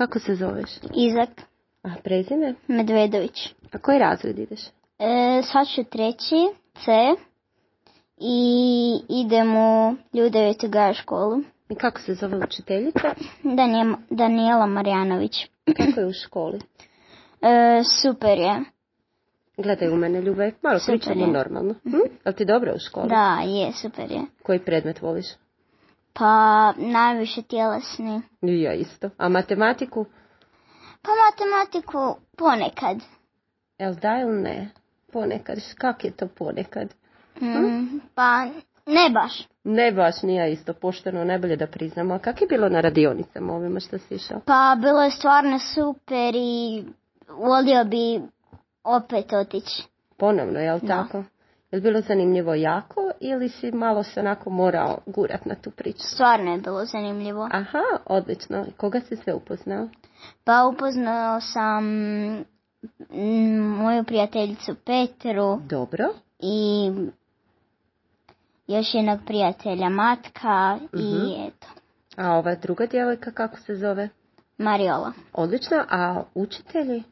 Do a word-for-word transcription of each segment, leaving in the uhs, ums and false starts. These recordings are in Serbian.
kako se zoveš? Izak A prezime? Medvedović. A koji razred ideš? E, sad ću treći, C, i idem u Ljudevitu Gaja školu. I kako se zove učiteljica? Danijela, Danijela Marjanović. Kako je u školi? E, super je. Gledaj u mene, Ljubaj, malo Super pričamo je. normalno. Hm? Jel ti dobro u školi? Da, je, super je. Koji predmet voliš? Pa najviše tjelesni. I ja isto. A matematiku? Pa matematiku ponekad. Jel da ili ne? Ponekad. Kak je to ponekad? Mm, pa ne baš. Ne baš, nije ja isto pošteno, najbolje da priznamo. A kak je bilo na radionicama ovima što si išao? Pa bilo je stvarno super i volio bi opet otići. Ponovno, jel Da. tako? Je li bilo zanimljivo jako ili si malo se onako morao gurat na tu priču? Stvarno je bilo zanimljivo. Aha, odlično. I koga si sve upoznao? Pa upoznao sam mm, moju prijateljicu Petru Dobro. i još jednog prijatelja Matka i Mhm. eto, A ova druga djevojka kako se zove? Mariola. Odlično. A učitelji?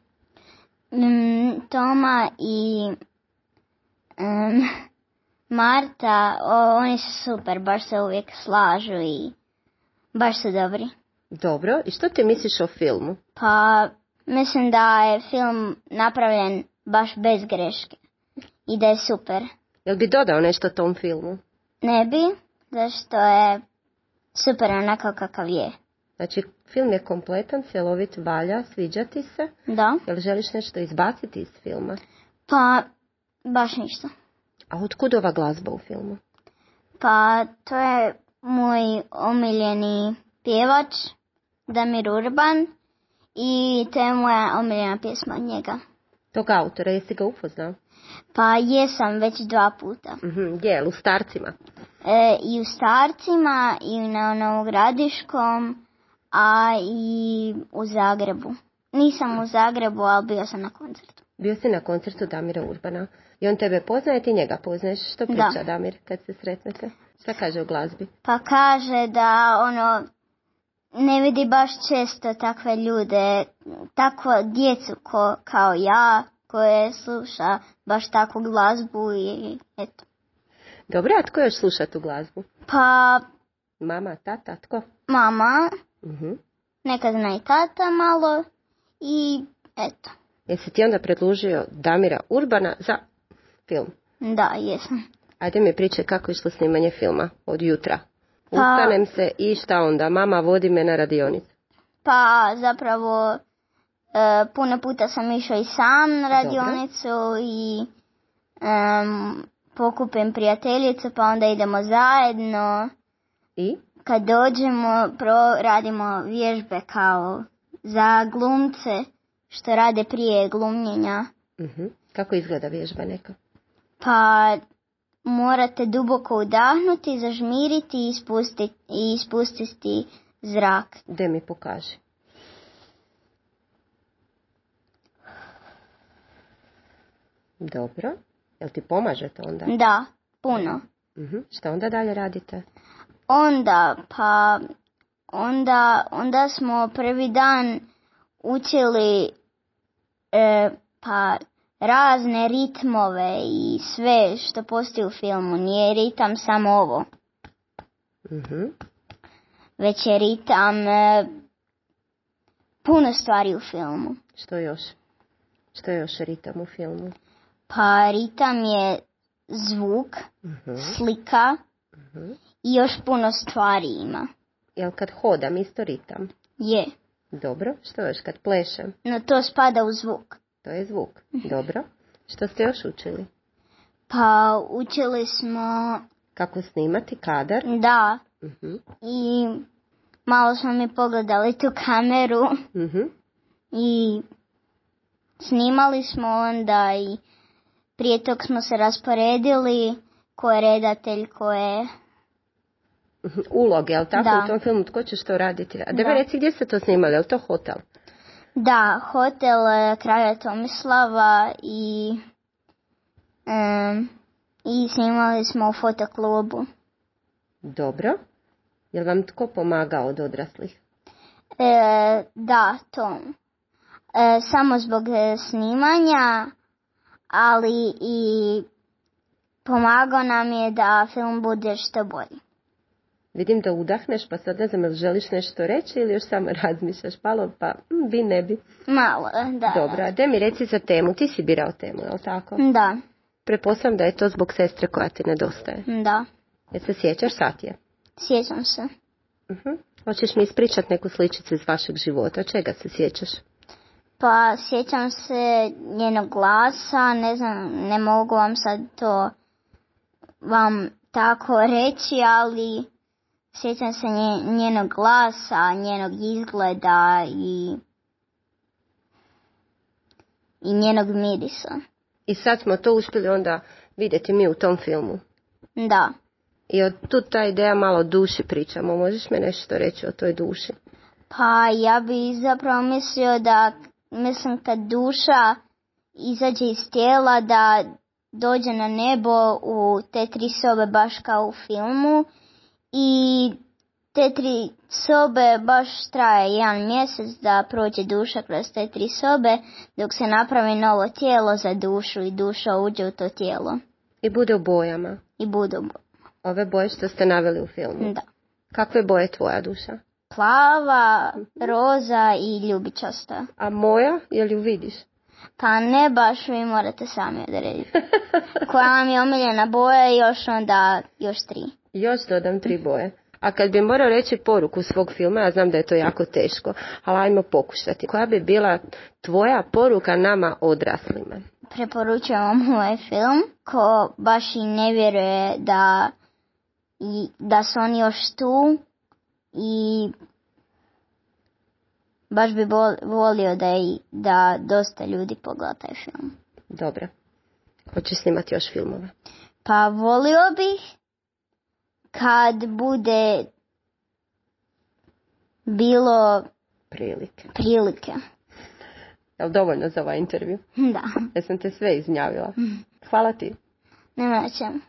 Mm, Toma i mm, Marta, o, oni su super, baš se uvijek slažu i baš su dobri. Dobro. I što ti misliš o filmu? Pa mislim da je film napravljen baš bez greške i da je super. Jel bi dodao nešto tom filmu? Ne bi, zašto je super onako kakav je. Znači, film je kompletan, cjelovit, valja, sviđa ti se. Da, Jel želiš nešto izbaciti iz filma? pa baš ništa. A otkud ova glazba u filmu? Pa to je moj omiljeni pjevač, Damir Urban, i to je moja omiljena pjesma od njega. Tog autora, jesi ga upoznao? Pa jesam već dva puta. Mhm, gdje, jel u Starcima? E, I u Starcima, i na Novogradiškom, a i u Zagrebu. Nisam u Zagrebu, ali bio sam na koncertu. Bio si na koncertu Damira Urbana. I on tebe poznaje, ti njega poznaješ. Što priča Da. Damir kad se sretnete? Šta kaže o glazbi? Pa kaže da ono ne vidi baš često takve ljude, takvu djecu ko, kao ja, koje sluša baš takvu glazbu i eto. Dobro, a tko još sluša tu glazbu? Pa Mama, tata, tko? mama, Mhm. nekad zna i tata malo i eto. Jesi ti onda predložio Damira Urbana za film? Da, jesam. Ajde mi pričaj kako je išlo snimanje filma od jutra. Pa- Ustanem se i šta onda? Mama vodi me na radionicu. Pa zapravo e, puno puta sam išao i sam na radionicu i em, pokupim prijateljicu pa onda idemo zajedno. I? Kad dođemo pro, radimo vježbe kao za glumce što rade prije glumljenja. Mhm. Kako izgleda vježba neka? Pa morate duboko udahnuti, zažmiriti i ispustiti, i ispustiti zrak. De mi pokaži. Dobro. Jel ti pomaže to onda? Da, puno. Mhm. Šta onda dalje radite? Onda, pa, onda, onda smo prvi dan učili e, pa razne ritmove i sve što postoji u filmu. Nije ritam samo ovo, Mhm. već je ritam e, puno stvari u filmu. Što još? Što je još ritam u filmu? Pa ritam je zvuk, Mhm. slika Mhm. i još puno stvari ima. Jel kad hodam isto ritam? Je, Dobro. Što još kad plešem? no to spada u zvuk. To je zvuk. Dobro. Što ste još učili? Pa učili smo, Kako snimati kadar? da, Mhm. i malo smo mi pogledali tu kameru Mhm. i snimali smo onda i prije tog smo se rasporedili ko je redatelj, ko je... Mhm. Uloge, jel tako? Da. U tom filmu tko će što raditi? A da mi Da. reci gdje ste to snimali? Jel to hotel? Da, hotel e, kralja Tomislava i, em, i snimali smo u fotoklubu. Dobro. Jel vam tko pomagao od odraslih? E, da, to. E, samo zbog snimanja, ali i pomagao nam je da film bude što bolji. Vidim da udahneš, pa sad ne znam, jel želiš nešto reći ili još samo razmišljaš malo, pa mm, bi ne bi. Malo, da. Dobro, a de mi reci za temu, ti si birao temu, je li tako? Da. Pretpostavljam da je to zbog sestre koja ti nedostaje. Da. Jel se sjećaš, sad je? Sjećam se. Uh-huh. Hoćeš mi ispričati neku sličicu iz vašeg života, čega se sjećaš? Pa sjećam se njenog glasa, ne znam, ne mogu vam sad to vam tako reći, ali sjećam se nje, njenog glasa, njenog izgleda i, i njenog mirisa. I sad smo to uspjeli onda vidjeti mi u tom filmu. Da. I od tu ta ideja malo o duši pričamo. Možeš mi nešto reći o toj duši? Pa ja bi zapravo mislio da, mislim kad duša izađe iz tijela da dođe na nebo u te tri sobe baš kao u filmu i te tri sobe baš traje jedan mjesec da prođe duša kroz te tri sobe dok se napravi novo tijelo za dušu i duša uđe u to tijelo. I bude u bojama? I bude u bojama. Ove boje što ste naveli u filmu? Da. Kakve boje je tvoja duša? Plava, roza i ljubičasta. A moja, je li ju vidiš? Pa ne baš, vi morate sami odrediti. Koja vam je omiljena boja i još onda još tri. Još dodam tri boje. A kad bi morao reći poruku svog filma, ja znam da je to jako teško, ali ajmo pokušati. Koja bi bila tvoja poruka nama odraslima? Preporučujem vam ovaj film, ko baš i ne vjeruje da, i, da su oni još tu i baš bi volio da, i, da dosta ljudi pogleda taj film. Dobro. Hoćeš snimati još filmove? Pa volio bih kad bude bilo prilike. prilike. Je li dovoljno za ovaj intervju? Da. Jesam te sve iznjavila? Hvala ti. Nema na čemu.